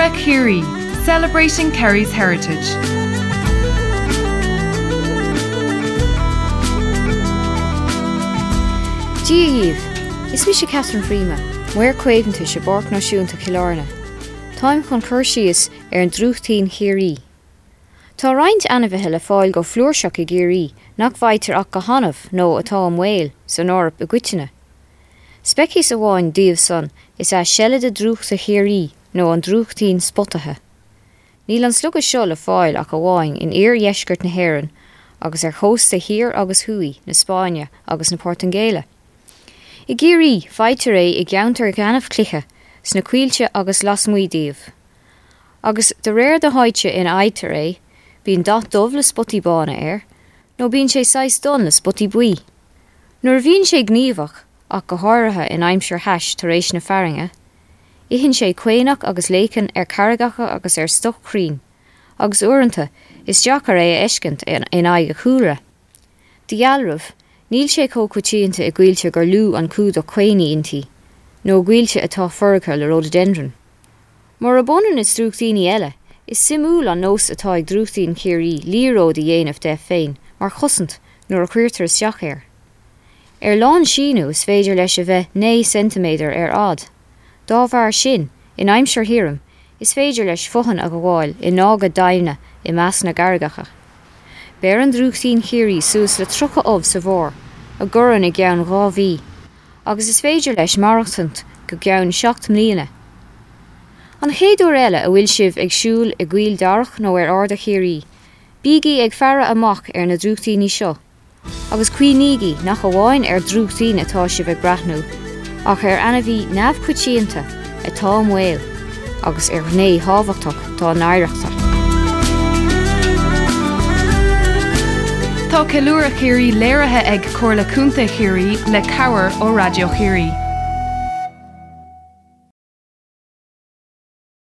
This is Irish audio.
Ceiliúradh Chiarraí, Celebrating Kerry's Heritage. Dia dhaoibh! Is mise Catherine Freeman, Maor Caomhantais i bPáirc Náisiúnta Chill Airne. Táim chun cur síos ar an drúchtín Chiarraí. Tá roinnt ainmhithe le fáil go flúirseach i gCiarraí nach bhfaightear ach go hannamh nó atá i mbaol san Eoraip i gcoitinne. Speiceas amháin díobh san is ea seilide drúchta Chiarraí nó an drúchtín spotaithe. Níl an slogadh seo le fáil ach amháin in iardheisceart na hÉireann agus ar chósta thiar agus thuaidh na Spáinne agus na Portaingéile. I gCiarraí, faightear é i gceantair ghaineamhchloiche, sna coillte agus lasmuigh díobh. Agus de réir na háite ina fhaightear é, bíonn dath dubh le spotaí bána air, nó bíonn sé saghas donn le spotaí buí. Nuair a bhíonn sé gníomhach, ach go háirithe in aimsir thais tar éis na fearthainne, itheann sé caonach agus léicean ar charraigeacha agus ar stoc crainn, agus uaireanta is deacair é a fheiscint in aghaidh a chúlra. De dhealramh, níl sé chomh coitianta i gcoillte gur lú an cumhdach caonaigh inti, nó i gcoillte atá foirgthe le ródaideindrean. Murab ionann is drúchtíní eile, is suimiúil an nós atá ag drúchtín Chiarraí liathróid a dhéanamh de féin mar chosaint nuair a chuirtear isteach air. Ar lánsíniú is féidir leis a bheith 9 ceintiméadar ar fhad. Dá bharr sin, in aimsir thirim, is féidir leis fothain a ghabháil i ndága doimhne i measc na gcarraigeacha. Beireann drúchtín Chiarraí suas le 30 ubh sa bharr, a ghorann i gceann 2 mhí. agus is féidir leis maireachtaint go ceann 7 mbliana. An chéad uair eile a bhfuil sibh ag siúl i gCoill Darach nó ar Arda Chiarraí, bígí ag faire amach ar na drúchtíní seo, agus cuimhnígí nach amháin ar dhrúchtín atá sibh ag breathnú, ach ar ainmhí neamhchoitianta atá i mbaol agus ar ghné thábhachtach dá n-oidhreachta. Tá Ceiliúradh Chiarraí léirithe ag Comhairle Contae Chiarraí le cabhair ó Raidió Chiarraí.